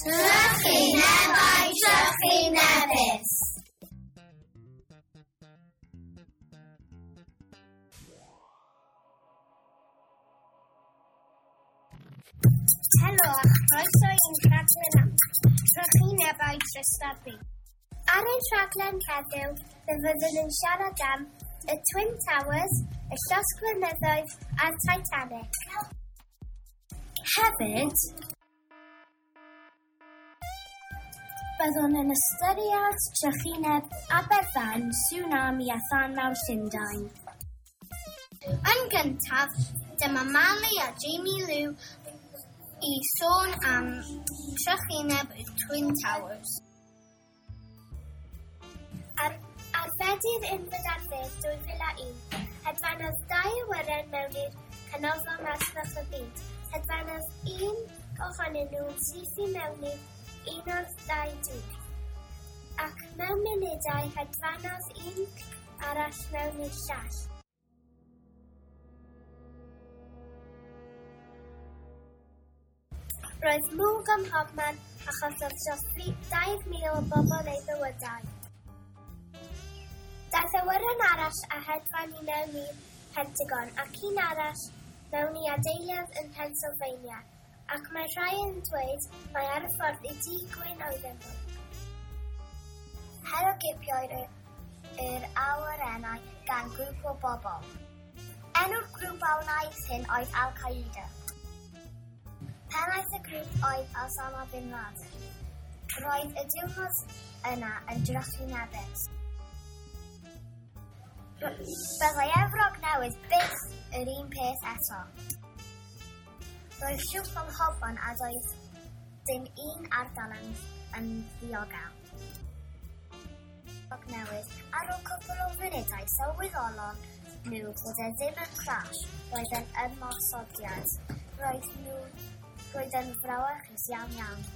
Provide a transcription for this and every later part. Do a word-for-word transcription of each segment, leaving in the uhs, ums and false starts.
Trychinebau trychinebus! Helo a chroeso i'n rhaglen am trychinebau Trystabri. Ar ein rhaglen heddiw, fe fyddwn yn siarad am y Twin Towers, y llosgfynyddoedd a'r Titanic. Hefyd, byddwn yn ystyried trychineb Aberfan, tsunami a thân mawr Llundain. Yn gyntaf, dyma Mali a Jamie Lou i sôn am trychineb y Twin Towers. Ar, ar Fedi'r unfed ar ddeg dwy fil a un, hedfanodd dau awyren mewn i'r canolfan masnach y byd. Hedfanodd un ohonyn nhw'n syth i mewn i'r un o'r ddau dŵr, ac mewn munudau hedfanodd un arall mewn i'r llall. Roedd mwg ym mhobman a chollodd dros dau mil o bobl eu bywydau. Daeth awyren arall a hedfan i mewn i'r Pentagon ac un arall mewn i adeilad yn Pennsylvania, ac mae rhai yn dweud mai ar y ffordd i Dŷ Gwyn oedden nhw. Herwgipiodd yr awyrennau gan grŵp o bobl. Enw'r grŵp a wnaeth hyn oedd Al-Qaeda. Pennaeth y grŵp oedd Osama bin Laden. Roedd y diwrnod yna yn drychinebus. Byddai Efrog Newydd byth yr un peth eto. Roedd llwch ym mhobman a doedd dim un ardal yn, yn ddiogel. Efrog Newydd, ar ôl cwpl o funudau sylweddolon nhw bod e ddim yn crash, roedd yn ymosodiad. Roedd nhw, roedd yn frawychus iawn iawn.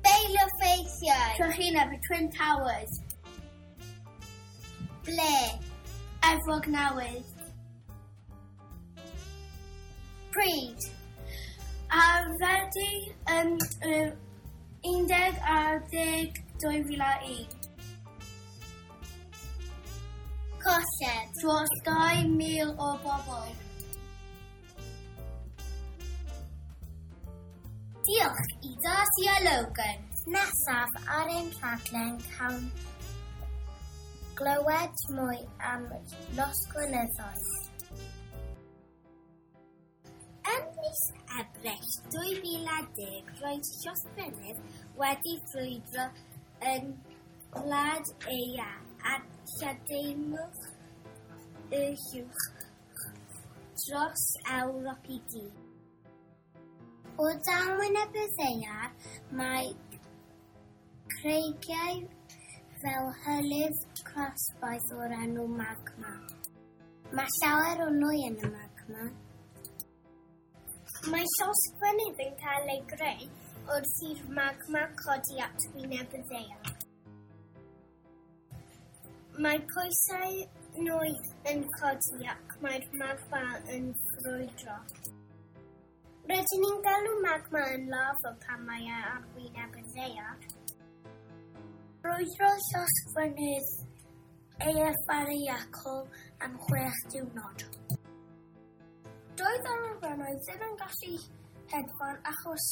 Beilio ffeithiau! Trychineb y Twin Towers. Ble? Efrog Newydd. Pryd? Ar Fedi yn yr undeg ar ddeg dwy fil a un. Colled? Dros dau mil o bobl. Diolch i Darcy a Logan. Nesaf ar ein rhaglen cawn glywed mwy am losgfynyddoedd. Ym mis Ebrill dwy fil a deg, roedd llosgfynydd wedi ffrwydro yn Gwlad Eia a lledaenodd y llwch dros Ewrop i gyd. O dan wyneb y ddaear, mae creigiau fel hylif crasboeth o'r enw magma. Mae llawer o nwy yn y magma. Mae llosgfynydd yn cael ei greu wrth i'r magma codi at wyneb y ddaear. Mae pwysau nwy yn codi ac mae'r magma yn ffrwydro. Rydyn ni'n galw magma yn lafa pan mae e ar wyneb y ddaear. Brwydrodd llosgfynydd Eyjafjallajökull am chwech diwrnod. Doedd yr awyrennau ddim yn gallu hedfan achos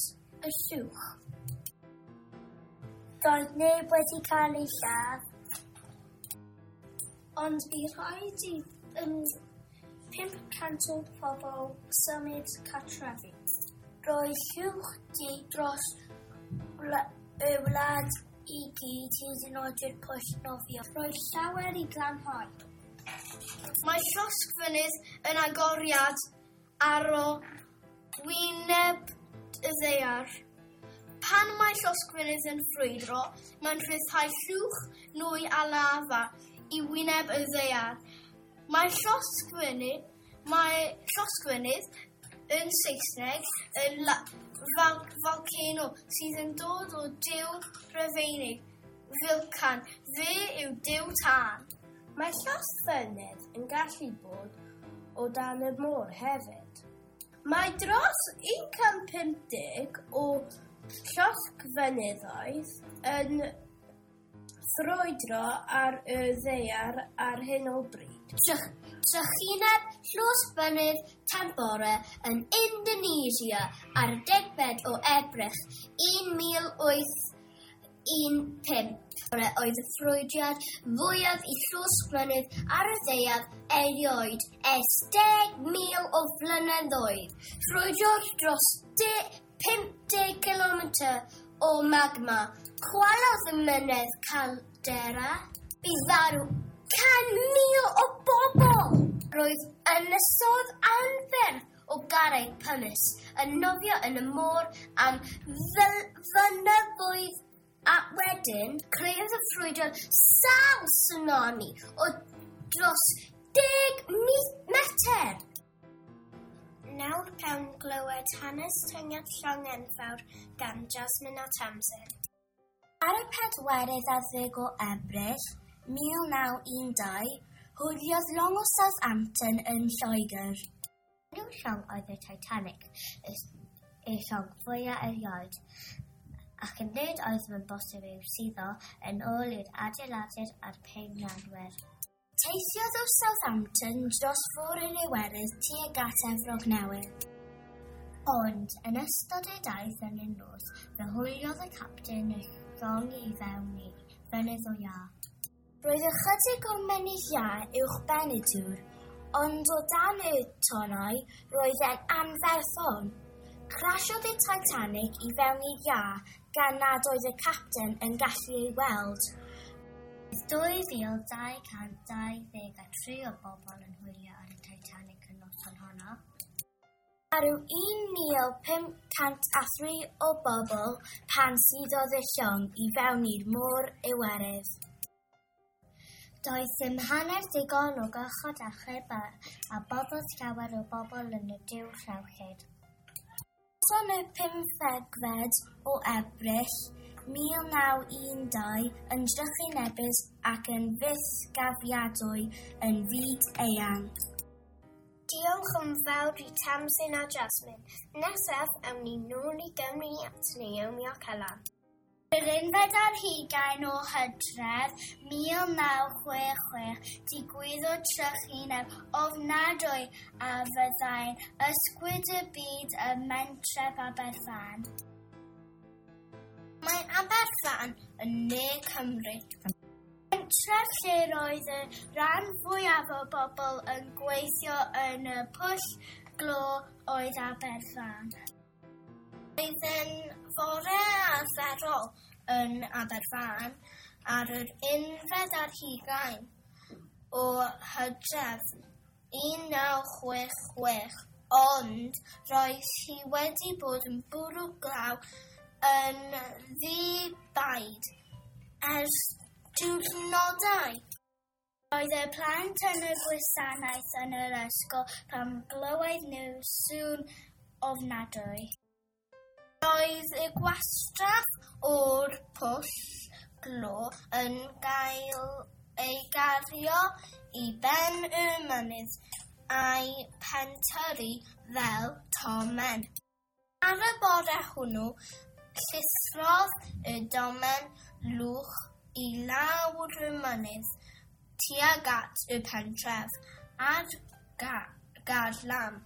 y llwch. Doedd neb wedi cael ei lladd, ond bu rhaid i um, pump cant o bobl symud cartrefi. Roedd llwch du dros y wlad i gyd hyd yn oed i'r pwll nofio. Roedd llawer i glanhau. Mae llosgfynydd yn agoriad ar o wyneb y ddaear. Pan mae llosgfynydd yn ffrwydro, mae'n rhyddhau llwch, nwy a lafa i wyneb y ddaear. Mae llosgfynydd, mae llosgfynydd yn Saesneg yn la, fal, volcano sydd yn dod o duw Rufeinig, Vulcan. Fe yw duw tân. Mae llosgfynydd yn gallu bod o dan y môr hefyd. Mae dros un cant pump deg o Llosgfynyddoedd yn ffrwydro ar y ddaear ar hyn o bryd. Trychineb llosgfynydd Tambora yn Indonesia ar y degfed o Ebrill un mil wyth un pump oedd y ffrwydriad fwyaf i llosgfynydd ar y ddaear erioed ers deg mil o flynyddoedd. Ffrwydrodd dros pum deg kilometr o magma. Chwalodd y mynydd caldera. Bu farw can mil o bobl. Roedd ynysodd anferth o garreg pumice yn nofio yn y môr am flynyddoedd a wedyn creodd y ffrwydriad sawl tsunami o dros deg metr. Nawr cawn glywed hanes tynged llong enfawr gan Jasmine a Tamsin. Ar y pedwerydd ar ddeg o Ebrill mil naw un dau, hwyliodd llong o Southampton yn Lloegr. Enw llong oedd y Titanic, y llong fwyaf erioed, ac yn nid oedd yn bosib i'w suddo yn ôl i'r adeiladwyr a'r peirianwyr. Teithiodd o Southampton dros Fôr yr Iwerydd tuag at Efrog Newydd. Ond yn ystod ei daith yn y nos, fe hwyliodd y capten y llong i fewn i fynydd o iâ. Roedd ychydig o'r mynydd iâ uwchben y dŵr, ond o dan y tonnau roedd e'n anferthol. Crasiodd y Titanic i fewn i'r iâ gan nad oedd y capten yn gallu ei weld. Roedd dwy fil dau cant dau ddeg a tri o bobl yn hwylio ar y Titanic y noson honno. Farw un mil pum cant a thri o bobl pan suddodd y llong i fewn i'r Môr Iwerydd. Doedd dim hanner digon o gychod achub a, a boddodd llawer o bobl yn y dŵr rhewllyd. Noson y pymthegfed o Ebrill mil naw un dau yn drychinebus ac yn fythgofiadwy yn fyd eang. Diolch yn fawr i Tamsin a Jasmine. Nesaf, awn ni nôl i Gymru at Naomi ac Ella. Yr unfed ar hugain o Hydref mil naw chwech chwech digwyddodd trychineb ofnadwy a fyddai'n ysgwyd y byd ym mhentref Aberfan. Mae Aberfan yn ne Cymru. Pentref lle roedd y rhan fwyaf o bobl yn gweithio yn y pwll glo oedd Aberfan. Roedd yn fore arferol yn Aberfan ar yr unfed ar hugain o Hydref un naw chwech chwech, ond roedd hi wedi bod yn bwrw glaw yn ddi-baid ers diwrnodau. Roedd y plant yn y gwasanaeth yn yr ysgol pan glywed nhw sŵn ofnadwy. Roedd y gwastraff o'r pwll glo yn cael ei gario i ben y mynydd a'i pentyrru fel tomen. Ar y bore hwnnw, llithrodd y domen lwch i lawr y mynydd tuag at y pentref a'r ga-, garlam.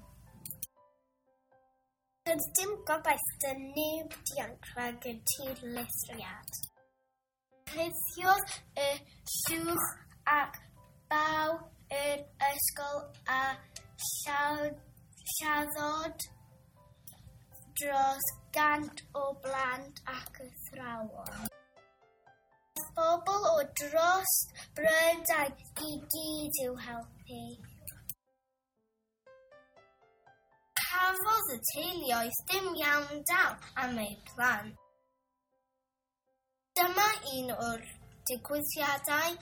Doedd dim gobaith 'da neb dianc rhag y tirlithriad. Rhithiodd y llwch ac baw yr ysgol a llaw-, lladdodd dros gant o blant ac athrawon. Bobl o dros Brydain i gyd i'w helpu. Cafodd y teuluoedd dim iawndal am eu plant. Dyma un o'r digwyddiadau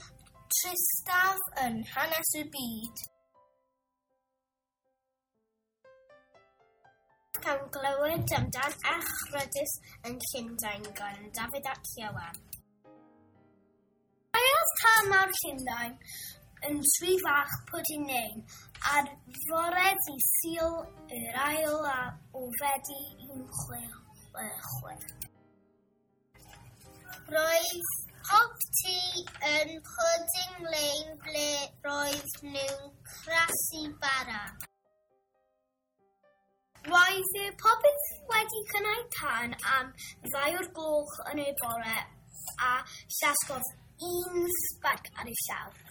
tristaf yn hanes y byd. Cawn glywed amdan echrydus yn Llundain gan Dafydd ac Ieuan. Caeodd tân mawr Llundain yn Swydd Fach Pwdinnein ar fore dydd Sul yr ail o Fedi un chwech chwe. Roedd pob tŷ yn Pudding Lane ble roedd nhw'n crasu bara. Roedd y popeth wedi cynnau tân am ddau o'r gloch yn y bore a llasgodd un sbarc ar ei llawr.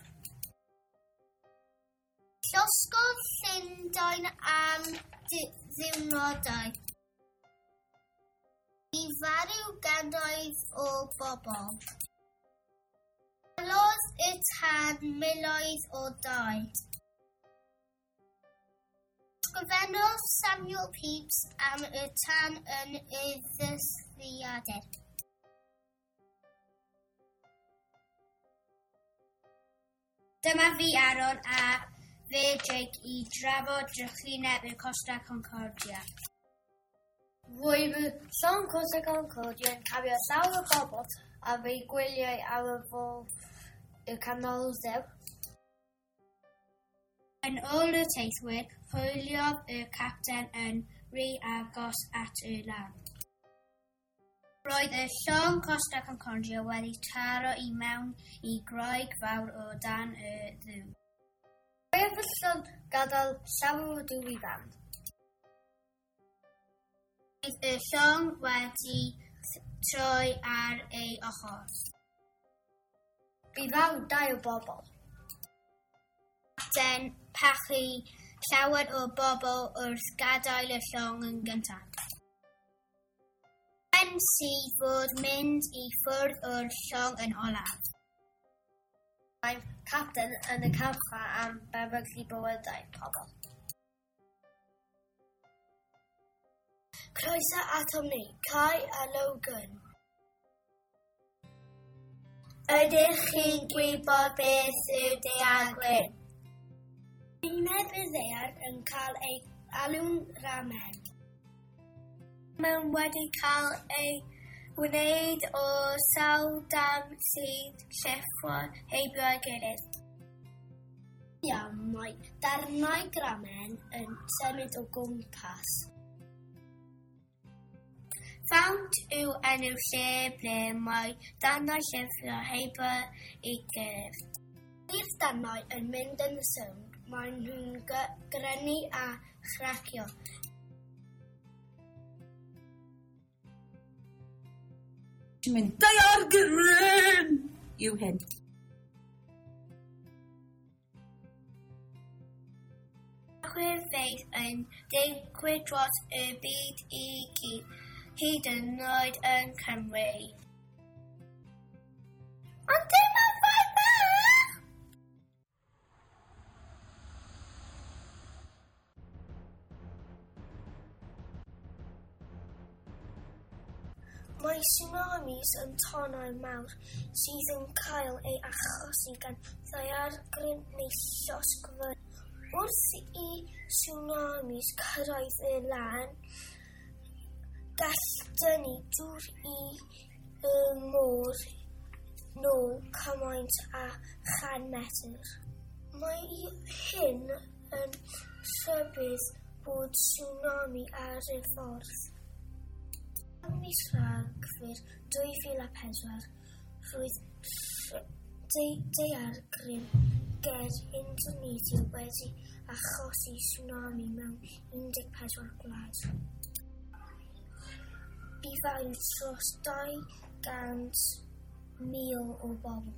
Llosgodd Llundain am ddiwrnodau. Bu farw gannoedd o bobl. Gwelodd y tân miloedd o dai. Ysgrifennodd Samuel Pepys am y tân yn y ddyddiadur. Dyma fi Aaron a fe Jake i drafod drychineb y Costa Concordia. Roedd y llong Costa Concordia yn cario llawer o bobl ar eu gwyliau ar y fôr y Canoldir. Yn ôl y teithwyr, hwyliodd y capten yn rhy agos at y lan. Roedd y llong Costa Concordia wedi taro i mewn i groeg fawr o dan y ddŵr. Roedd y llong gadael llawer o dŵr i fewn. Roedd y llong wedi troi ar ei ochr. Bu farw dau o bobl. Capten pachu llawer o bobl wrth gadael y llong yn gyntaf. Pen sydd fod mynd i ffwrdd o'r llong yn olaf. Mae'r capten yn y carchar am beryglu bywydau pobl. Croeso atom ni, Kai a Logan. Ydych chi'n gwybod beth yw daeargryn? Wyneb y ddaear yn cael ei alw'n ramen. Mae'n wedi cael ei wneud o sawl darn sydd llithro heibio ei gilydd. Iawn, mae darnau gramen yn symud o gwmpas. Ffawnt yw enw lle ble mae darnau llithro heibio ei gilydd. I'r darnau yn mynd yn y sownd, maen nhw'n grynu a chracio. Ti'n mynd, daeargryn! Yw hyn. Chwyrfeydd yn digwydd dros y byd i gyd, hyd yn oed yn Cymru. Ond dim ond fai bach! Mae tsunamis yn tonnau mawr sydd yn cael ei achosi gan ddaeargryn neu llosgfynydd. Wrth i tsunamis cyrraedd y lan, gall dynnu dŵr i y môr nôl cymaint â chan metr. Mae hyn yn rhybudd bod tsunami ar y ffordd. Ym mis Rhagfyr dwy fil a pedwar, roedd daeargryn ger Indonesia wedi achosi tsunami mewn un deg pedwar gwlad. Bu farw dros dau gant mil o bobl.